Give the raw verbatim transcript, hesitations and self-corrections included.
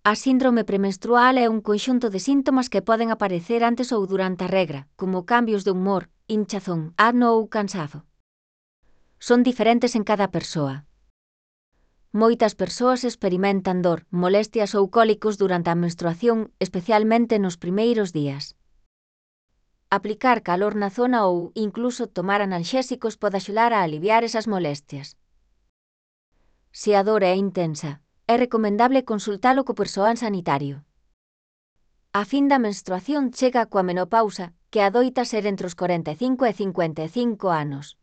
A síndrome premenstrual é un conxunto de síntomas que poden aparecer antes ou durante a regra, como cambios de humor, hinchazón, acno ou cansazo. Son diferentes en cada persoa. Moitas persoas experimentan dor, molestias ou cólicos durante a menstruación, especialmente nos primeiros días. Aplicar calor na zona ou, incluso, tomar analxésicos pode axudar a aliviar esas molestias. Se a dor é intensa, é recomendable consultalo co persoal sanitario. A fin da menstruación chega coa menopausa, que adoita ser entre os corenta e cinco e cincuenta e cinco anos.